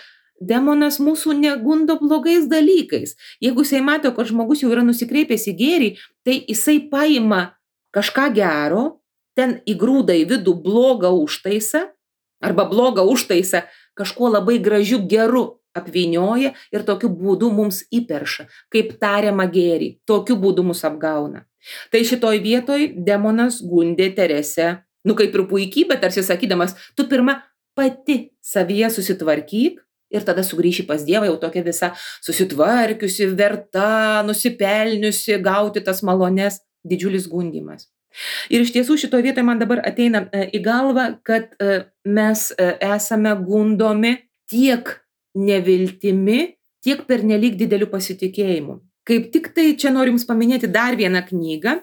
demonas mūsų negundo blogais dalykais. Jeigu jisai mato, kad žmogus jau yra nusikreipęs į gėrį, tai jisai paima kažką gero, ten įgrūda į vidų blogą užtaisą, arba blogą užtaisą kažkuo labai gražiu geru apvynioja ir tokiu būdu mums įperša, kaip tariamą gėrį. Tokiu būdu mus apgauna. Tai šitoj vietoj demonas gundė Teresę, kaip ir puikybė, tarsi sakydamas, tu pirma pati savyje susitvarkyk ir tada sugrįši pas Dievą jau tokia visa susitvarkiusi, verta, nusipelniusi, gauti tas malones, didžiulis gundymas. Ir iš tiesų šitoje vietoje man dabar ateina į galvą, kad mes esame gundomi tiek neviltimi, tiek pernelyg dideliu pasitikėjimu. Kaip tik tai čia noriu Jums paminėti dar vieną knygą,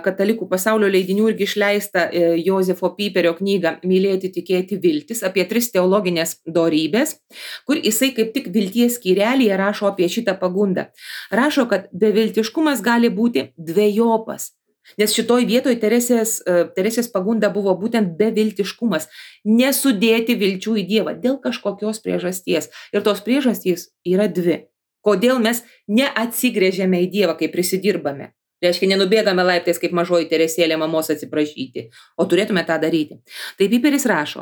Katalikų pasaulio leidinių irgi išleistą Jozefo Piperio knygą Mylėti, tikėti, viltis, apie 3 teologinės dorybės, kur jisai kaip tik vilties skyrelyje rašo apie šitą pagundą. Rašo, kad beviltiškumas gali būti dvejopas. Nes šitoj vietoj Teresės pagunda buvo būtent beviltiškumas, nesudėti vilčių į Dievą dėl kažkokios priežasties. Ir tos priežastys yra 2. Kodėl mes neatsigręžiame į Dievą, kai prisidirbame? Reiškia, nenubėgame laiptais kaip mažoji Teresėlė mamos atsiprašyti, o turėtume tą daryti. Tai Piperis rašo,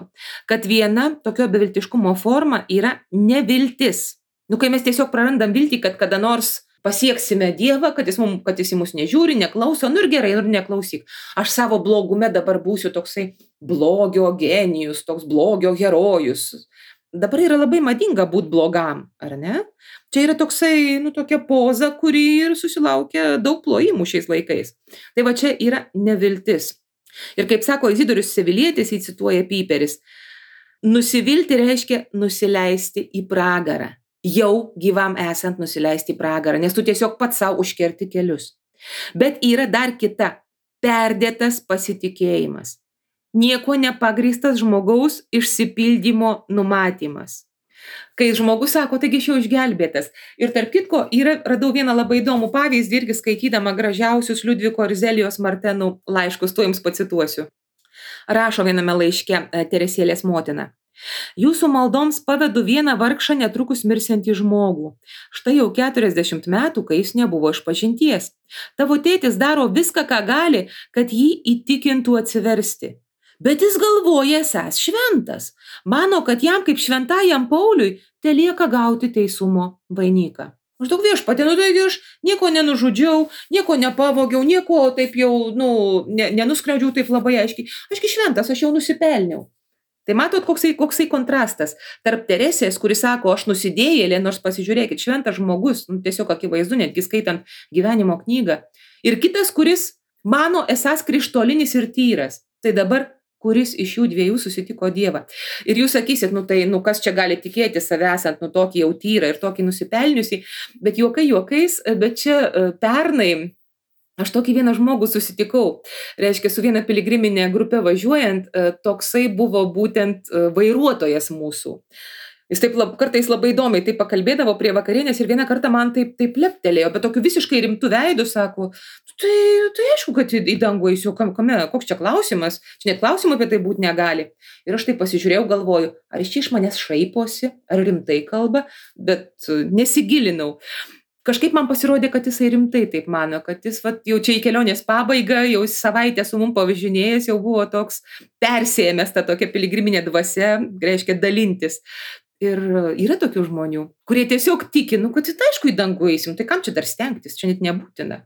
kad viena tokio beviltiškumo forma yra neviltis. Kai mes tiesiog prarandam viltį, kad kada nors pasieksime Dievą, kad jis į mus nežiūri, neklauso, ir gerai, ir neklausyk. Aš savo blogume dabar būsiu toksai blogio genijus, toks blogio herojus. Dabar yra labai madinga būti blogam, ar ne? Čia yra toksai, tokia poza, kuri ir susilaukia daug plojimų šiais laikais. Tai va čia yra neviltis. Ir kaip sako Izidorius Sevilietis, jį cituoja Piperis, nusivilti reiškia nusileisti į pragarą. Jau gyvam esant nusileisti į pragarą, nes tu tiesiog pats savo užkerti kelius. Bet yra dar kita, perdėtas pasitikėjimas. Nieko nepagrįstas žmogaus išsipildymo numatymas. Kai žmogus sako, taigi aš jau išgelbėtas. Ir tarp kitko, radau vieną labai įdomų pavyzdį, irgi skaitydama gražiausius Liudviko ir Zelijos Martenų laiškus, tuo Jums pacituosiu. Rašo viename laiške Teresėlės motina. Jūsų maldoms pavedu vieną vargšą netrukus mirsiantį žmogų. Štai jau 40 metų, kai jis nebuvo išpažinties. Tavo tėtis daro viską, ką gali, kad jį įtikintų atsiversti. Bet jis galvoja esąs šventas. Mano, kad jam kaip šventajam Pauliui telieka gauti teisumo vainiką. Maždaug viešpatie, taigi aš nieko nenužudžiau, nieko nepavogiau, nieko taip jau, nenuskriaudžiau taip labai aiškiai. Ašgi šventas, aš jau nusipelniau. Tai matot, koksai kontrastas tarp Teresės, kuris sako, aš nusidėjėlė, nors pasižiūrėkit, šventas žmogus, tiesiog akivaizdu, netgi skaitant gyvenimo knygą. Ir kitas, kuris mano esąs krištolinis ir tyras. Tai dabar, kuris iš jų 2 susitiko Dievą. Ir jūs sakysit, kas čia gali tikėti save esant, tokį jau tyrą ir tokį nusipelniusį. Bet juokai juokais, bet čia pernai aš tokį vieną žmogų susitikau, reiškia, su viena piligriminė grupė važiuojant, toksai buvo būtent vairuotojas mūsų. Jis taip kartais labai įdomiai taip pakalbėdavo prie vakarienės ir vieną kartą man taip leptelėjo, bet tokiu visiškai rimtų veidų sako, tai aišku, kad į dangų eisiu, koks čia klausimas, čia net klausimų apie tai būti negali. Ir aš taip pasižiūrėjau, galvoju, ar jis čia iš manęs šaiposi, ar rimtai kalba, bet nesigilinau. Kažkaip man pasirodė, kad jisai rimtai taip mano, kad jis jau čia į kelionės pabaigą, jau savaitę su mum pavažinėjęs, jau buvo toks persėjęs tą tokią piligriminę dvasią, reiškia dalintis. Ir yra tokių žmonių, kurie tiesiog tiki, kad aišku į dangų eisim, tai kam čia dar stengtis, čia net nebūtina.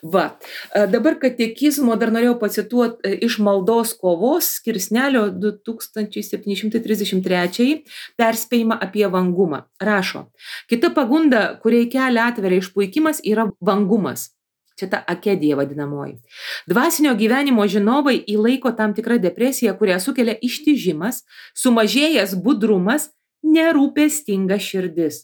Dabar katekizmo dar norėjau pacituoti iš maldos kovos skirsnelio 2733 perspėjimą apie vangumą. Rašo, kita pagunda, kuriai kelią atveria išpuikimas, yra vangumas. Čia ta akedija vadinamoji. Dvasinio gyvenimo žinovai įlaiko tam tikrą depresiją, kurią sukelia ištižimas, sumažėjęs budrumas, nerūpestinga širdis.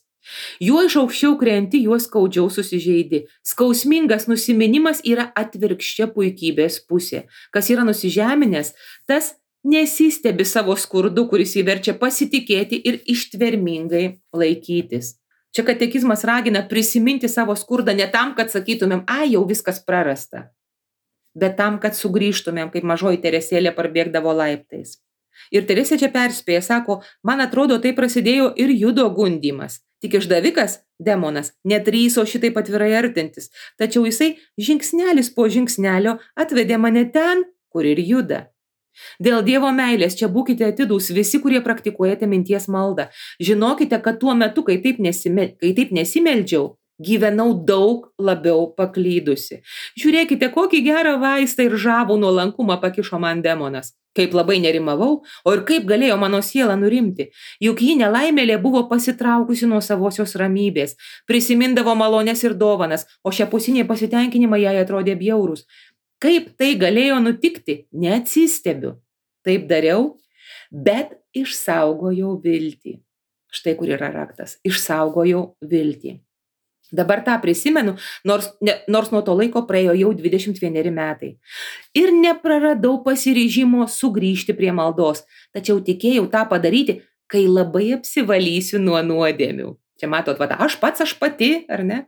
Juo iš aukščiau krenti, juo skaudžiau susižeidi. Skausmingas nusiminimas yra atvirkščia puikybės pusė. Kas yra nusižeminęs, tas nesistebi savo skurdu, kuris įverčia pasitikėti ir ištvermingai laikytis. Čia katekizmas ragina prisiminti savo skurdą ne tam, kad sakytumėm, jau viskas prarasta, bet tam, kad sugrįžtumėm, kaip mažoji Teresėlė parbėgdavo laiptais. Ir Teresė čia perspėja, sako, man atrodo, tai prasidėjo ir Judo gundymas. Tik išdavikas, demonas, nedrįso šitaip atvirai artintis, tačiau jisai žingsnelis po žingsnelio atvedė mane ten, kur ir juda. Dėl Dievo meilės čia būkite atidūs visi, kurie praktikuojate minties maldą. Žinokite, kad tuo metu, kai taip nesimeldžiau, gyvenau daug labiau paklydusi. Žiūrėkite, kokį gerą vaistą ir žavų nuolankumą pakišo man demonas. Kaip labai nerimavau, o ir kaip galėjo mano siela nurimti. Juk ji nelaimėlė buvo pasitraukusi nuo savosios ramybės, prisimindavo malonės ir dovanas, o šiapusiniai pasitenkinimai jai atrodė bjaurūs. Kaip tai galėjo nutikti, neatsistebiu. Taip dariau, bet išsaugojau viltį. Štai kur yra raktas. Išsaugojau viltį. Dabar tą prisimenu, nors nuo to laiko praėjo jau 21 metai. Ir nepraradau pasiryžimo sugrįžti prie maldos, tačiau tikėjau tą padaryti, kai labai apsivalysiu nuo nuodėmių. Čia matot, aš pati, ar ne?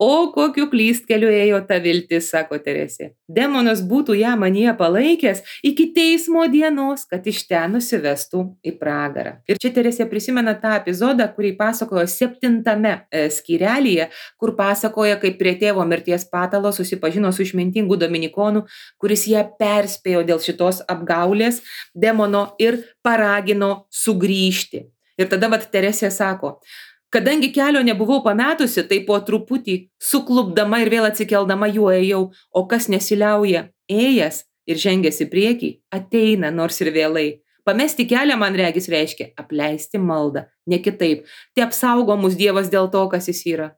O kokiu klystkeliu ėjo ta viltis, sako Teresė. Demonas būtų ją manyje palaikęs iki teismo dienos, kad iš ten nusivestų į pragarą. Ir čia Teresė prisimena tą epizodą, kurį pasakojo 7 skyrelyje, kur pasakoja, kaip prie tėvo mirties patalo susipažino su išmintingu dominikonu, kuris ją perspėjo dėl šitos apgaulės demono ir paragino sugrįžti. Ir tada Teresė sako, kadangi kelio nebuvau pametusi, tai po truputį suklupdama ir vėl atsikeldama juo ėjau, o kas nesiliauja, ėjęs ir žengęs į priekį, ateina nors ir vėlai. Pamesti kelią, man regis, reiškia apleisti maldą, ne kitaip. Te apsaugo mus Dievas dėl to, kas jis yra.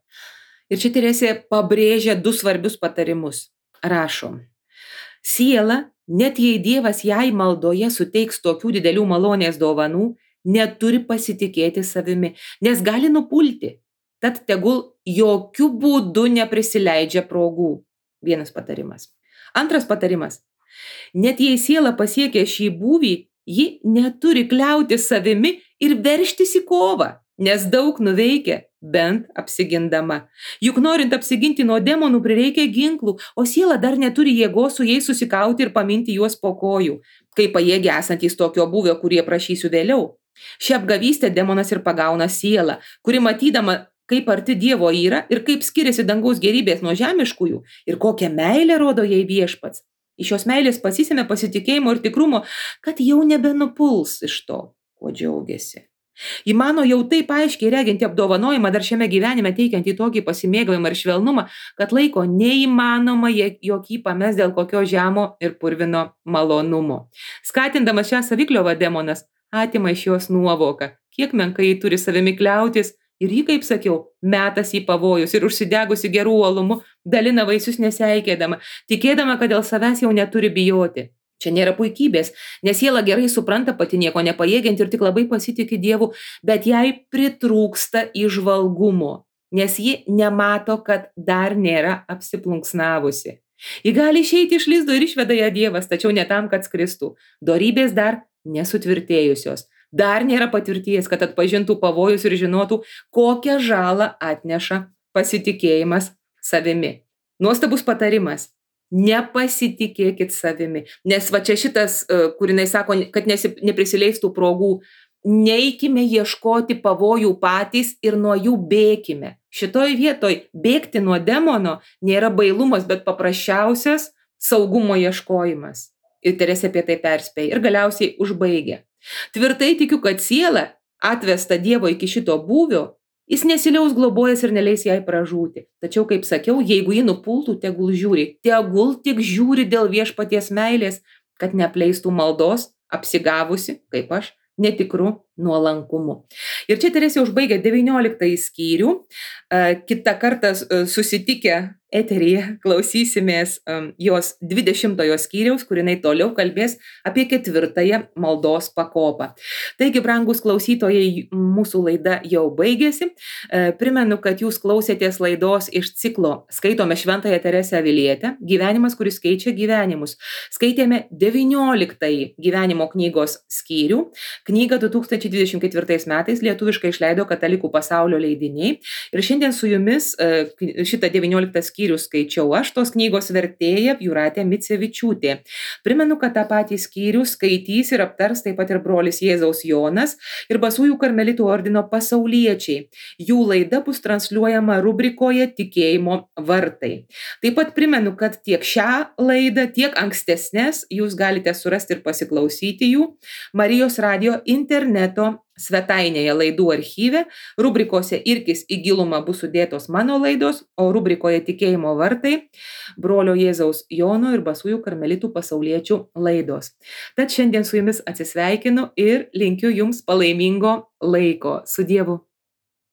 Ir čia Teresė pabrėžia 2 svarbius patarimus. Rašom. Siela, net jei Dievas jai maldoje suteiks tokių didelių malonės dovanų, neturi pasitikėti savimi, nes gali nupulti. Tad tegul jokių būdų neprisileidžia progų. Vienas patarimas. Antras patarimas. Net jei siela pasiekia šį būvį, ji neturi kliauti savimi ir veržtis į kovą, nes daug nuveikia, bent apsigindama. Juk norint apsiginti nuo demonų prireikia ginklų, o siela dar neturi jėgos su jais susikauti ir paminti juos po kojų, kai pajėgia esantys tokio būvio, kurie prašysiu vėliau. Šią apgavystę demonas ir pagauna sielą, kuri matydama, kaip arti Dievo yra ir kaip skiriasi dangaus gerybės nuo žemiškųjų ir kokią meilę rodo jai viešpats. Iš šios meilės pasisėmė pasitikėjimo ir tikrumo, kad jau nebenupuls iš to, kuo džiaugiasi. Įmano jau taip aiškiai reginti apdovanojimą dar šiame gyvenime teikiantį tokį pasimėgavimą ir švelnumą, kad laiko neįmanoma jokį pames dėl kokio žemo ir purvino malonumo. Skatindamas šią savikliovą demonas atima iš jos nuovoką, kiek menkai turi savimi kliautis ir ji, kaip sakiau, metas į pavojus ir užsidegusi gerų uolumu dalina vaisius neseikėdama, tikėdama, kad dėl savęs jau neturi bijoti. Čia nėra puikybės, nes siela gerai supranta pati nieko nepajėgiant ir tik labai pasitiki Dievu, bet jai pritrūksta įžvalgumo, nes ji nemato, kad dar nėra apsiplunksnavusi. Ji gali išeiti iš lizdo ir išveda ją Dievas, tačiau ne tam, kad skristų. Dorybės dar nesutvirtėjusios. Dar nėra patirties, kad atpažintų pavojus ir žinotų, kokią žalą atneša pasitikėjimas savimi. Nuostabus patarimas. Nepasitikėkit savimi. Nes čia šitas, kur jinai sako, kad neprisileistų progų, neikime ieškoti pavojų patys ir nuo jų bėkime. Šitoj vietoj bėgti nuo demono nėra bailumas, bet paprasčiausias saugumo ieškojimas. Ir Teresė apie tai perspėja ir galiausiai užbaigia. Tvirtai tikiu, kad siela, atvesta Dievo iki šito būvio, jis nesiliaus globojęs ir neleis jai pražūti. Tačiau, kaip sakiau, jeigu ji nupultų, tegul tik žiūri dėl viešpaties meilės, kad neapleistų maldos, apsigavusi, kaip aš, netikru nuolankumu. Ir čia Teresė užbaigia 19 skyrių. Kitą kartą susitikę eteryje klausysimės jos 20 skyriaus, kur jinai toliau kalbės apie 4 maldos pakopą. Taigi, brangus klausytojai, mūsų laida jau baigėsi. Primenu, kad jūs klausėtės laidos iš ciklo Skaitome Šventąją Teresę Avilietę, gyvenimas, kuris keičia gyvenimus. Skaitėme 19 gyvenimo knygos skyrių. Knygą 2000 2024 metais lietuviškai išleido Katalikų pasaulio leidiniai. Ir šiandien su jumis šitą 19 skyrių skaičiau aš, tos knygos vertėja Jūratė Micevičiūtė. Primenu, kad tą patį skyrių skaitys ir aptars taip pat ir brolis Jėzaus Jonas ir Basųjų karmelitų ordino pasauliečiai. Jų laida bus transliuojama rubrikoje Tikėjimo vartai. Taip pat primenu, kad tiek šią laidą, tiek ankstesnės jūs galite surasti ir pasiklausyti jų Marijos radijo interneto svetainėje laidų archyve. Rubrikose Irkis į gilumą bus sudėtos mano laidos, o rubrikoje Tikėjimo vartai brolio Jėzaus Jono ir Basųjų karmelitų pasauliečių laidos. Tad šiandien su jumis atsisveikinu ir linkiu jums palaimingo laiko. Su Dievu.